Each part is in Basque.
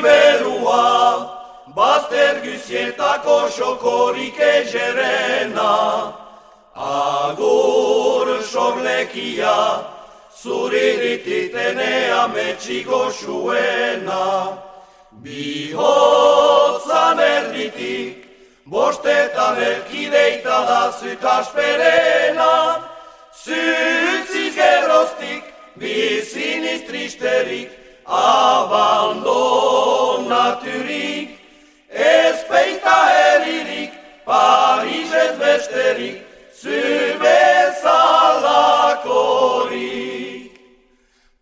siberua, bazter guzietako xokorik egerena. Agur sorlekia, zurirititenea metxiko zuena. Bihotzan erditik, bostetan erkideita da zutasperena. Zutziz geroztik, biziniz tristerik, abandonaturik. Ez peita herririk, Parisez besterik, zubezalakorik.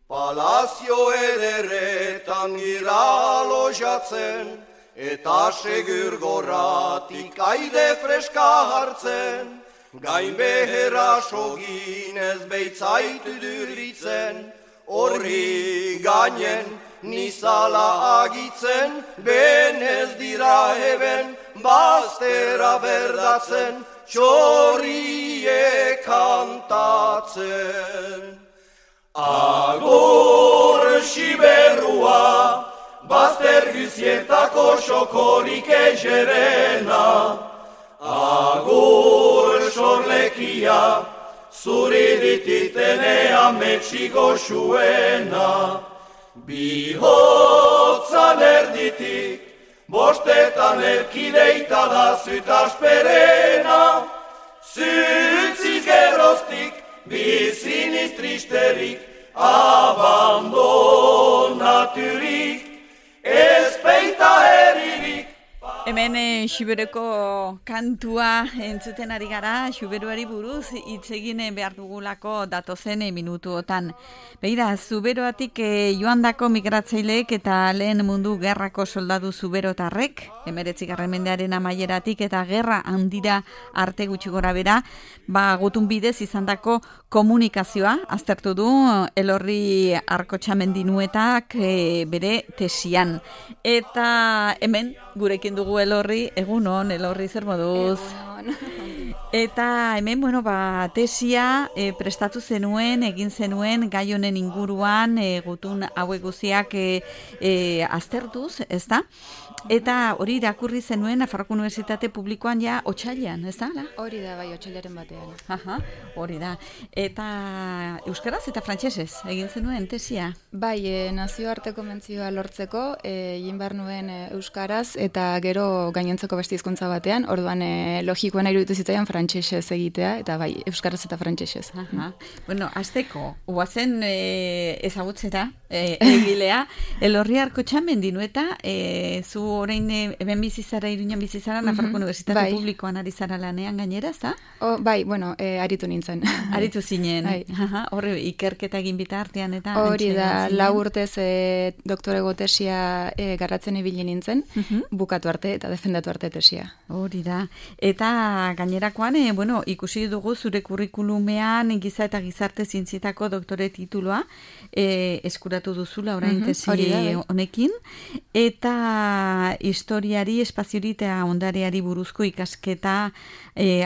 Palazio ederretan gira lojatzen, eta segur gorratik aide freska hartzen. Gain beherra soginez beitzaitu duritzen, horri gainen nizala agitzen, benez dira eben baztera berdatzen, txorrie kantatzen. Agur siberua, bazter guzietako xokorik egerena. Agur sorlekia, zurirititenea metxiko zuena. Bihotzan erditik, bostetan erkideita da zutasperena. Zutziz geroztik, biziniz tristerik, abandonaturik, ez peita herririk. Hemen Xuberoko kantua entzuten ari gara, Xuberoari buruz hitz egin behar dugulako datozen minutuotan. Begira, Zuberoatik joandako migratzaileek eta lehen mundu gerrako soldadu zuberotarrek, 19. mendearen amaieratik eta gerra handira arte gutxi gora bera, gutun bidez izandako komunikazioa aztertu du Elorri Arkotxamendinuetak bere tesian. Eta hemen gurekin dugu Elorri, egunon, Elorri, zer moduz? Egunon. Eta hemen, tesia prestatu zenuen, egin zenuen, gai honen inguruan, gutun hauek guziak aztertuz, ez da? Eta hori irakurri zenuen Nafarroko Unibertsitate Publikoan ja otsailean, ez da? Hori da, bai, otsailaren batean. Aha, hori da. Eta euskaraz eta frantsesez egin zenuen tesia? Bai, nazioarteko mentzioa lortzeko, egin behar nuen euskaraz eta gero gainontzeko beste hizkuntza batean, orduan logikoena iruditu zitzaidan frantsesez egitea, eta bai, euskaraz eta frantsesez. Aha. Hasteko, guazen ezagutzera, egilea, Elorri Arkotxamendinueta, zu orain hemen bizizara, Iruñan bizizara, Nafarroko Unibertsitate Publikoan ari zara lanean gainera, ez da? Bai, aritu nintzen. Aritu zinen. Horre, ikerketa egin bitartean eta... Hori da, 4 urtez doktorego tesia garratzen ibili nintzen, bukatu arte eta defendatu arte tesia. Hori da. Eta gainerakoan, ikusi dugu zure kurrikulumean giza eta gizarte zientzietako doktore tituloa eskuratu duzula orain tesi honekin, eta historiari, espaziori eta ondareari buruzko ikasketa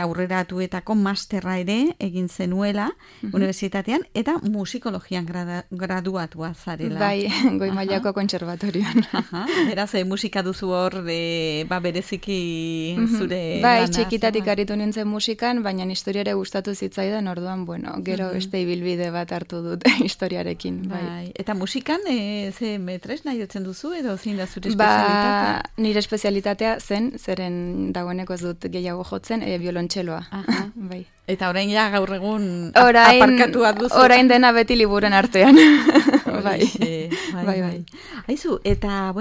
aurreratuetako masterra ere egin zenuela unibertsitatean, eta musikologian graduatua zarela. Bai, goi mailako kontserbatorioan. Beraz, musika duzu hor, bereziki zure Bai, lana, txikitatik aritu nintzen musikan, baina historiare gustatu zitzaidan, orduan, gero beste ibilbide bat hartu dut historiarekin. Bai. Eta musikan, ze metres nahi jotzen duzu, edo zein da zure espezialitatea? Nire espezialitatea zen, zeren dagoeneko ez dut gehiago jotzen, biolontxeloa. Bai. Eta orain ja gaur egun aparkatua duzu. Orain dena beti liburen artean. Bai. Aizu, eta,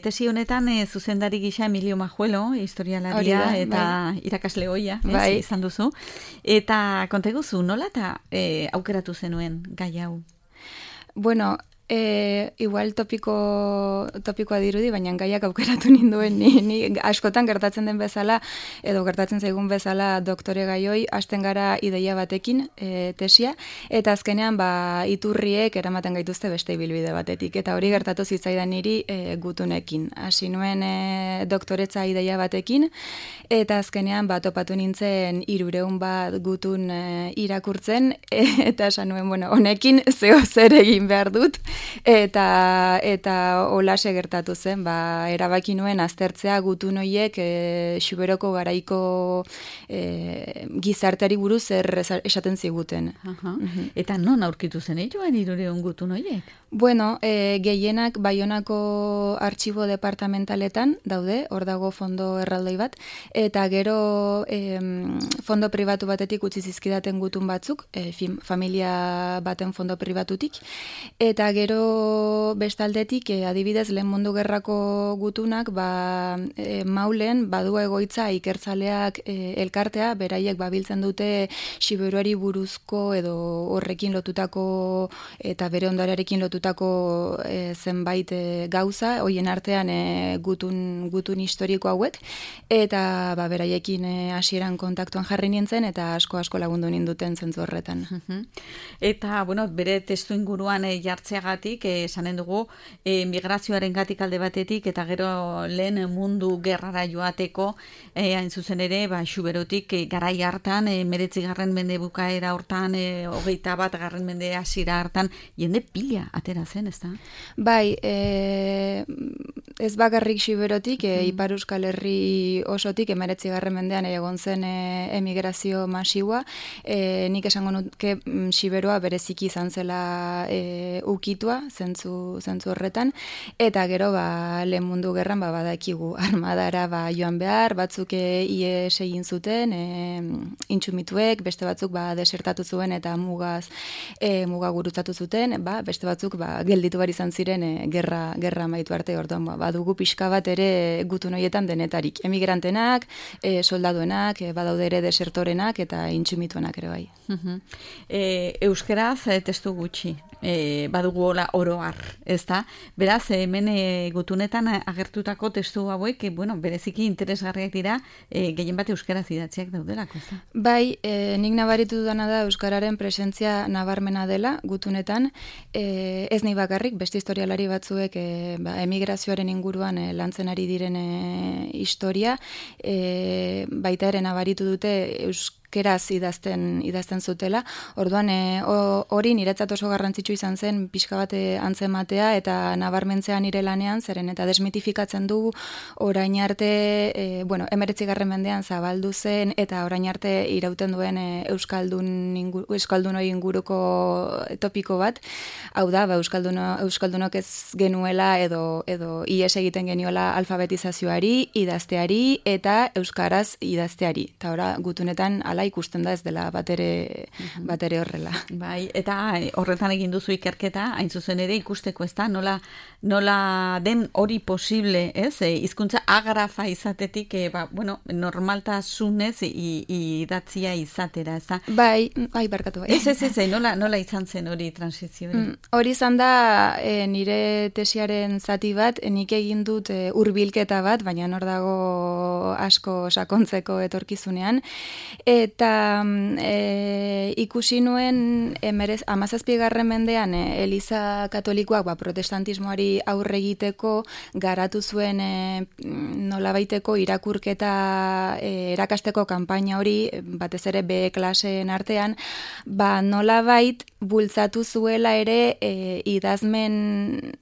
tesi honetan zuzendari gisa Emilio Majuelo, historialaria eta irakasle ohia, izan duzu. Eta konta eguzu, nola eta aukeratu zenuen gai hau? Igual topikoa dirudi, baina gaiak aukeratu ninduen ni askotan gertatzen den bezala, edo gertatzen zaigun bezala doktore gaioi, hasten gara ideia batekin tesia, eta azkenean iturriek eramaten gaituzte beste ibilbide batetik, eta hori gertatu zitzaidan niri gutunekin. Hasi nuen doktoretza ideia batekin, eta azkenean topatu nintzen 300 bat gutun irakurtzen, eta esan nuen, honekin zeo zer egin behar dut, eta olase gertatu zen, erabaki nuen aztertzea gutun horiek Xuberoko garaiko gizarteari buruz esaten ziguten. Eta non aurkitu zen joan 300 gutun horiek? Bueno, gehienak Baionako artxibo departamentaletan daude, hor dago fondo erraldoi bat, eta gero fondo pribatu batetik utzi zizkidaten gutun batzuk, familia baten fondo pribatutik, eta gero bestaldetik, adibidez, Lehen Mundu Gerrako gutunak, Maulen badu egoitza ikertzaleak elkartea, beraiek babiltzen dute Xiberuari buruzko edo horrekin lotutako eta bere ondarearekin lotutako zenbait gauza, hoien artean gutun historiko hauek, eta beraiekin hasieran kontaktuan jarri nintzen, eta asko lagundu ninduten zentzu horretan. Eta, bere testu inguruan jartzeagatik, esanen dugu, migrazioaren gatik alde batetik, eta gero Lehen Mundu Gerrara joateko, hain zuzen ere, Xuberotik garai hartan, 19. mende bukaera hortan, 21. mende hasiera hartan, jende pila atera zen, ez da? Bai, ez bakarrik Xuberotik, Ipar Euskal Herri osotik, 19. mendean egon zen emigrazio masiua, nik esango nuke Xiberoa bereziki izan zela ukitua, zentzu horretan, eta gero Lehen Mundu Gerran badakigu armadara joan behar, batzuk ies egin zuten, intxumituek, beste batzuk desertatu zuen eta muga gurutzatu zuten, beste batzuk gelditu bar izan ziren gerra amaitu arte. Orduan badugu pixka bat ere gutun horietan denetarik, emigrantenak, soldaduenak, badaude ere desertorenak eta intxumituenak ere bai. Euskeraz testu gutxi, badugu oro har, ez da? Beraz, hemen gutunetan agertutako testu hauek, bereziki interesgarriak dira, gehien bat euskeraz idatziak daudelako, ez da? Bai, nik nabaritu dudana da euskararen presentzia nabarmena dela gutunetan, ez nahi bakarrik, beste historialari batzuek emigrazioaren inguruan lantzen ari diren historia, baita ere nabaritu dute euskeraz idazten zutela. Orduan, hori niretzat oso garrantzitsu izan zen pixka bat antzematea eta nabarmentzea nire lanean, zeren eta desmitifikatzen du orain arte, 19. mendean zabaldu zen eta orain arte irauten duen euskaldunoi inguruko topiko bat. Hau da, euskaldunok ez genuela edo ies egiten geniola alfabetizazioari, idazteari eta euskaraz idazteari. Eta ora, gutunetan ikusten da ez dela batere horrela. Bai, eta horretan egin duzu ikerketa, hain zuzen ere ikusteko, ez da, nola den hori posible, ez? Hizkuntza agrafa izatetik, normaltasunez idatzia izatera, ez da? Bai, barkatu bai. Ez, nola izan zen hori transizio hori? Hori izan da nire tesiaren zati bat, nik egin dut hurbilketa bat, baina hor dago asko sakontzeko etorkizunean, eta ikusi nuen 17. mendean Eliza Katolikoak protestantismoari aurre egiteko garatu zuen nolabaiteko irakurketa erakasteko kanpaina hori, batez ere B klaseen artean, nolabait bultzatu zuela ere idazmen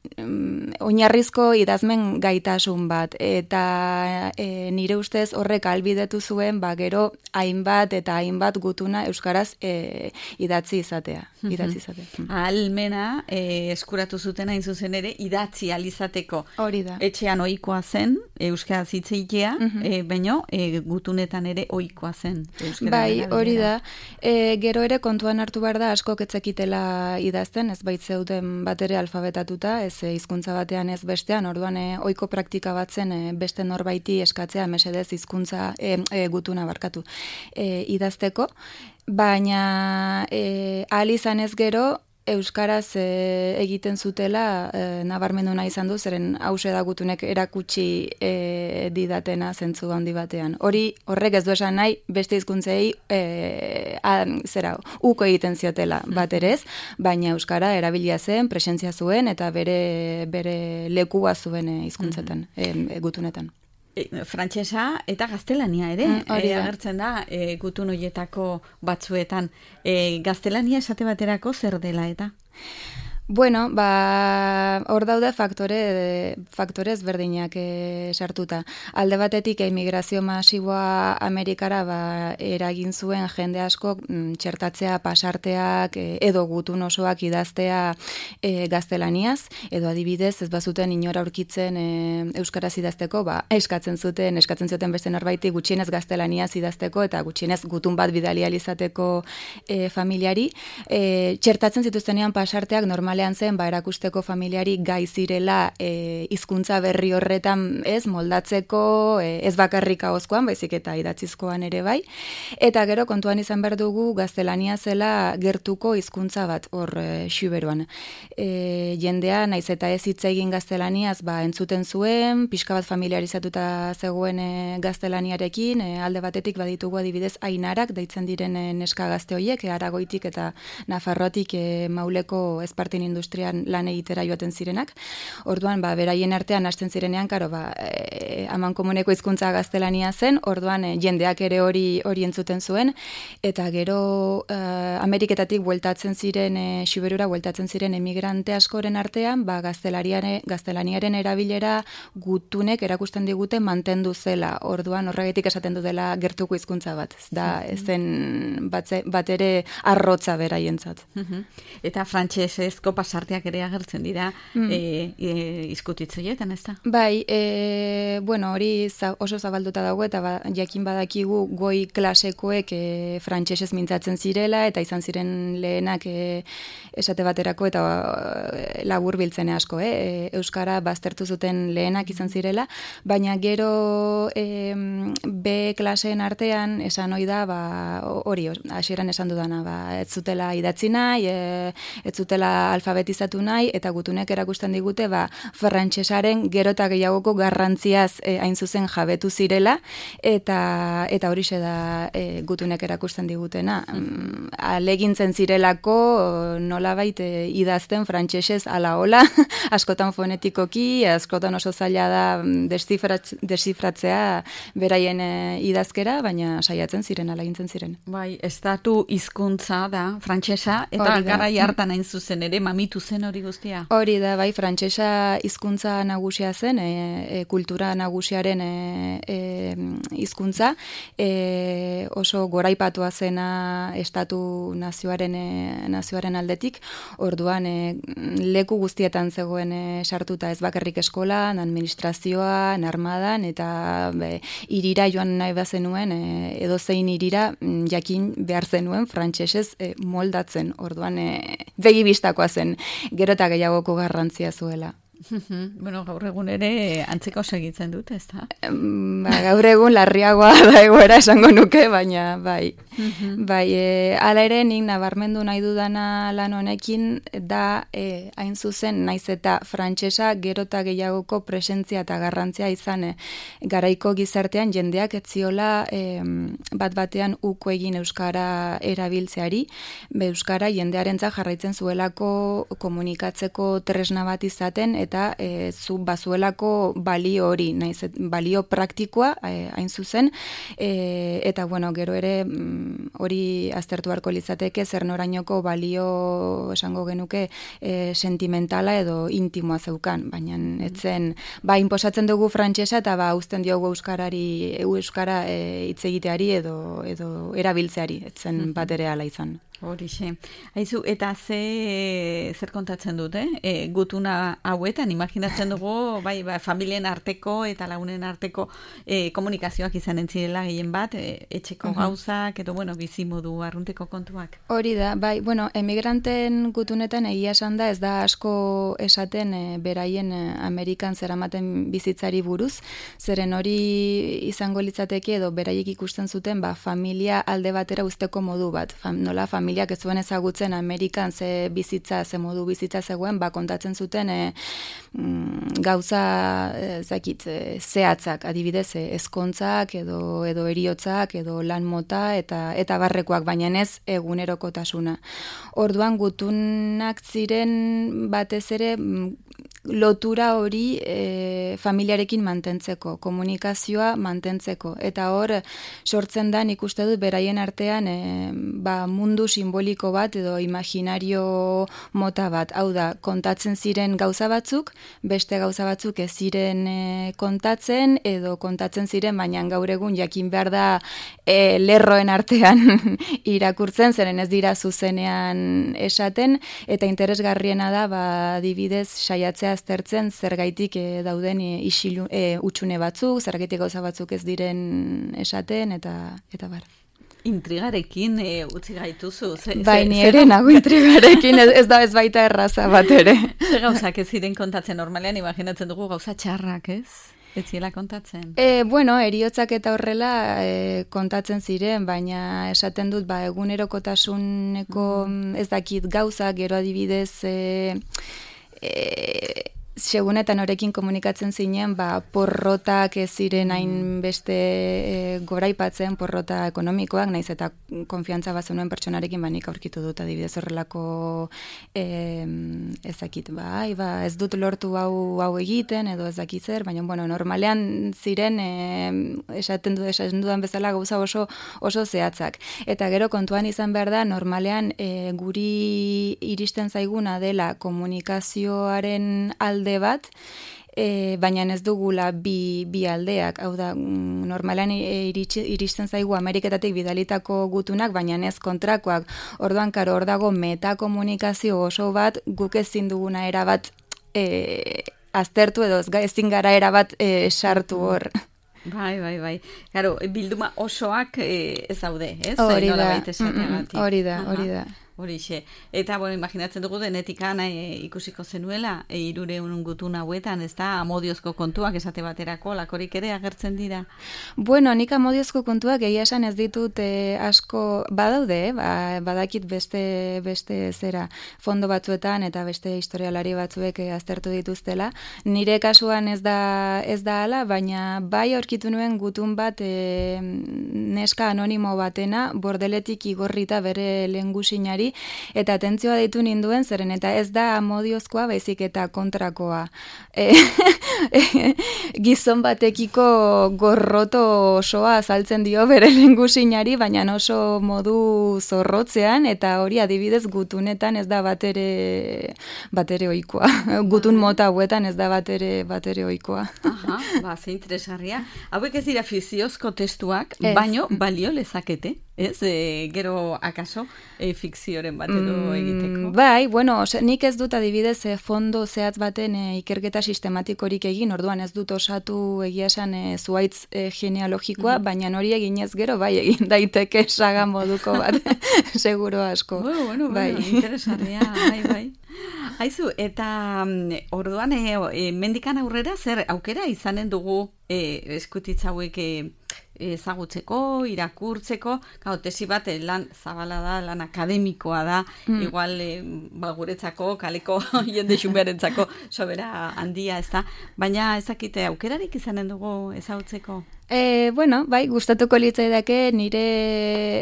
oinarrizko idazmen gaitasun bat, eta nire ustez horrek ahalbidetu zuen gero hainbat gutuna euskaraz idatzi izatea. Ahalmena eskuratu zuten hain zuzen ere idatzi alizateko. Hori da. Etxean ohikoa zen euskaraz hitz egitea, baina gutunetan ere ohikoa zen. Bai, hori da. Gero ere kontuan hartu behar da asko ketzekitela idazten, ez baitzeuden bat ere alfabetatuta, ez hizkuntza batean ez bestean, orduan ohiko praktika bat zen beste norbaiti eskatzea mesedez hizkuntza gutuna barkatu idazteko, baina ahal izan ez gero euskaraz egiten zutela nabarmendu nahi izan du, zeren hause da gutunek erakutsi didatena zentzu handi batean. Horrek ez du esan nahi beste hizkuntzei uko egiten ziotela bat ere ez, baina euskara erabilia zen, presentzia zuen eta bere lekua zuen hizkuntzetan, gutunetan. Frantsesa eta gaztelania ere, agertzen da gutun horietako batzuetan. Gaztelania esate baterako zer dela eta? Bueno, hor daude faktore ezberdinak sartuta. Alde batetik emigrazio masiboa Amerikara eragin zuen jende asko txertatzea, pasarteak edo gutun osoak idaztea gaztelaniaz, edo adibidez ez bazuten inora aurkitzen euskaraz idazteko, eskatzen zuten beste norbaiti gutxienez gaztelaniaz idazteko eta gutxienez gutun bat bidali ahal izateko familiari. Txertatzen zituztenean pasarteak normalean zen erakusteko familiari gai zirela hizkuntza berri horretan moldatzeko ez bakarrik ahozkoan, baizik eta idatzizkoan ere bai. Eta gero kontuan izan behar dugu gaztelania zela gertuko hizkuntza bat hor Xuberoan. Jendea naiz eta ez hitz egin gaztelaniaz entzuten zuen, pixka bat familiarizatuta zegoen gaztelaniarekin, alde batetik baditugu adibidez ainarak deitzen diren neska gazte horiek, Aragoitik eta Nafarroatik Mauleko Espartin industrian lan egitera joaten zirenak. Orduan, beraien artean hasten zirenean, amankomuneko hizkuntza gaztelania zen, orduan jendeak ere hori entzuten zuen, eta gero Ameriketatik bueltatzen ziren, Xuberura bueltatzen ziren emigrante askoren artean, gaztelaniaren erabilera gutunek erakusten digute mantendu zela. Orduan, horregatik esaten du dela gertuko hizkuntza bat. Ez da, ezen bat ere arrotza beraientzat. Eta frantsesezko pasarteak ere agertzen dira izkutitzoietan, ez da? Bai, hori oso zabalduta dago eta jakin badakigu goi klasekoek frantsesez mintzatzen zirela eta izan ziren lehenak esate baterako eta labur biltzen asko, euskara baztertu zuten lehenak izan zirela, baina gero B klaseen artean esan ohi da, hori, hasieran esan dudana, ez zutela idatzi nahi, ez zutela alfabetizatu nahi, eta gutunek erakusten digute, frantsesaren gero eta gehiagoko garrantziaz hain zuzen jabetu zirela, eta horixe da gutunek erakusten digutena. Alegintzen zirelako nolabait idazten frantsesez ala hola, askotan fonetikoki, askotan oso zaila da desifratzea beraien idazkera, baina saiatzen ziren, alegintzen ziren. Bai, estatu hizkuntza da, frantsesa, eta garai hartan hain zuzen ere mamitu zen hori guztia. Hori da, bai, frantsesa hizkuntza nagusia zen, kultura nagusiaren hizkuntza, oso goraipatua zena estatu nazioaren aldetik, orduan leku guztietan zegoen sartuta, ez bakarrik eskolan, administrazioan, armadan, eta irira joan nahi bazenuen, edozein irira jakin behar zenuen frantsesez moldatzen, orduan begibistakoa zen, gero eta gehiagoko garrantzia zuela. Bueno, gaur egun ere antzeko segitzen dut, ez da? Gaur egun larriagoa da egoera esango nuke, baina bai. Hala ere, nik nabarmendu nahi dudana lan honekin da hain zuzen naiz eta frantsesa gero eta gehiagoko presentzia eta garrantzia izan garaiko gizartean jendeak etziola bat batean uko egin euskara erabiltzeari, euskara jendearentzat jarraitzen zuelako komunikatzeko tresna bat izaten eta bazuelako balio hori, naiz balio praktikoa hain zuzen, eta gero ere hori aztertu beharko litzateke zer norainoko balio esango genuke sentimentala edo intimoa zeukan, baina etzen inposatzen dugu frantsesa eta uzten diogu euskara hitz egiteari edo erabiltzeari, etzen bat ere hala izan. Horixe. Aizu, eta zer kontatzen dute? Gutuna hauetan, imaginatzen dugu, familien arteko eta lagunen arteko komunikazioak izan entzirela gehien bat, etxeko gauzak, edo, bizimodu arrunteko kontuak. Hori da, emigranten gutunetan egia esan da, ez da asko esaten beraien Amerikan zeramaten bizitzari buruz, zeren hori izango litzateke edo beraiek ikusten zuten, familia alde batera uzteko modu bat, nola familiak ez zuen ezagutzen Amerikan ze modu bizitza zegoen, kontatzen zuten gauza zehatzak, adibidez ezkontzak edo eriotzak edo lan mota eta barrekoak, baina ez egunerokotasuna. Orduan gutunak ziren batez ere lotura hori familiarekin mantentzeko, komunikazioa mantentzeko. Eta hor, sortzen da, nik uste dut, beraien artean mundu simboliko bat edo imaginario mota bat. Hau da, kontatzen ziren gauza batzuk, beste gauza batzuk ez ziren kontatzen, edo kontatzen ziren, baina gaur egun jakin behar da lerroen artean irakurtzen, zeren ez dira zuzenean esaten, eta interesgarriena da, adibidez, saiatzea aztertzen zergaitik dauden utxune batzuk, zergaitik gauza batzuk ez diren esaten, eta bar. Intrigarekin utzi gaituzu. Bai, ni ere nago intrigarekin, ez da ez baita erraza bat ere. Ze gauzak ez ziren kontatzen normalean, imaginatzen dugu gauza txarrak, ez? Ez ziela kontatzen? Heriotzak eta horrela kontatzen ziren, baina esaten dut, egunerokotasuneko ez dakit gauza, gero adibidez segunetan horekin komunikatzen zinen, porrotak ez ziren hain beste goraipatzen, porrota ekonomikoak, naiz eta konfiantza bazenuen pertsonarekin nik aurkitu dut adibidez horrelako ezakit, ez dut lortu hau egiten, edo ezakit zer, baina, normalean ziren esaten dudan bezala gauza oso zehatzak. Eta gero kontuan izan behar da, normalean guri iristen zaiguna dela komunikazioaren alde bat, baina ez dugula bi aldeak, hau da, normalan iristen zaigu Ameriketatik bidalitako gutunak, baina ez kontrakoak. Orduan, hor dago metakomunikazio oso bat, guk ezin duguna erabat aztertu edo ezin gara erabat sartu hor. Bai. Garo, bilduma osoak ez daude, ez? Hori da. Horixe. Eta, imaginatzen dugu denetikan ikusiko zenuela, 300 gutun hauetan, ez da, amodiozko kontuak esate baterako, lakorik ere agertzen dira? Nik amodiozko kontuak egia esan ez ditut asko badaude, badakit beste zera fondo batzuetan eta beste historialari batzuek aztertu dituztela. Nire kasuan ez da hala, baina bai aurkitu nuen gutun bat neska anonimo batena, bordeletik igorrita bere lehengusinari, eta atentzioa deitu ninduen, zeren eta ez da amodiozkoa, baizik eta kontrakoa. Gizon batekiko gorroto osoa azaltzen dio bere lehengusinari, baina oso modu zorrotzean, eta hori adibidez gutunetan ez da batere ohikoa. Gutun mota hauetan ez da batere ohikoa. Ze interesgarria. Hauek ez dira fikziozko testuak, baino balio lezakete. Ez, gero akaso fikzioren bat edo egiteko? Bai, nik ez dut adibidez fondo zehatz baten ikerketa sistematikorik egin, orduan ez dut osatu egia esan zuhaitz genealogikoa, baina hori eginez gero bai egin daiteke saga moduko bat, seguro asko. Bai, interesgarria, bai. Haizu, eta orduan mendikan aurrera zer aukera izanen dugu eskutitza hauek ezagutzeko, irakurtzeko, tesi bat lan zabala da, lan akademikoa da, igual guretzako, kaleko jende xunberentzako sobera handia, ez da, baina ezakite aukerarik izanen dugu ezagutzeko? Bai, gustatuko litzaidake nire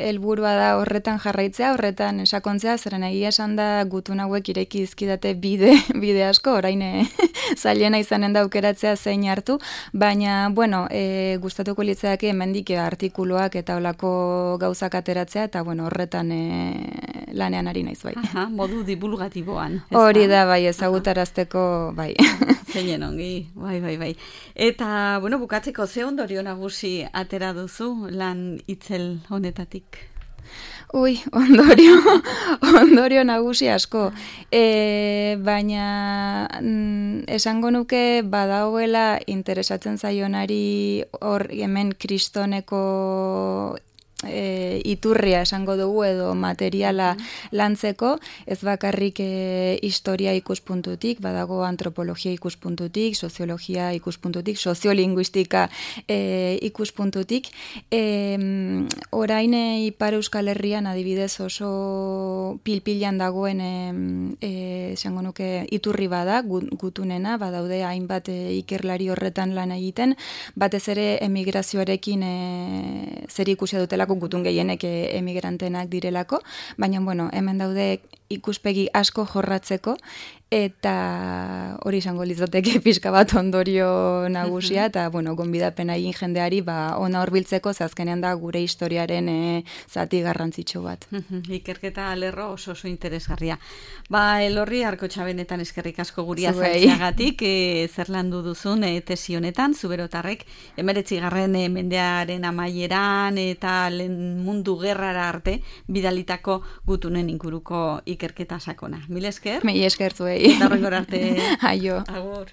helburua da horretan jarraitzea, horretan sakontzea, zeren egia esan da gutun hauek ireki dizkidate bide asko, orain zailena izanen da aukeratzea zein hartu, baina, gustatuko litzaidake hemendik artikuluak eta olako gauzak ateratzea, eta, horretan lanean ari naiz, bai. Modu divulgatiboan. Hori da, bai, ezagutarazteko, bai. Zeinen ongi, bai. Eta, bukatzeko ze ondorio nagusi atera duzu lan itzel honetatik? Ondorio nagusi asko. Baina esango nuke badagoela interesatzen zaionari hor hemen kristoneko iturria esango dugu edo materiala lantzeko, ez bakarrik historia ikuspuntutik, badago antropologia ikuspuntutik, soziologia ikuspuntutik, soziolinguistika ikuspuntutik. Orain Ipar Euskal Herrian adibidez oso pilpilan dagoen esango nuke iturri bada, gutunena, badaude hainbat ikerlari horretan lan egiten, batez ere emigrazioarekin zer ikusia dutelako gutun gehienek emigrantenak direlako, baina hemen daude ikuspegi asko jorratzeko, eta hori izango litzateke pixka bat ondorio nagusia, eta, gonbidapena egin jendeari, ona horbiltzeko, azkenean da gure historiaren zati garrantzitsu bat. Ikerketa lerro oso interesgarria. Elorri Arkotxa benetan eskerrik asko guri azaltzeagatik, zer landu duzun tesi honetan, Zuberotarrek 19. mendearen amaieran eta mundu gerrara arte bidalitako gutunen inguruko ikerketa sakona. Mil esker? Mil esker zuei. Eta horrengor arte. Aio. Agur.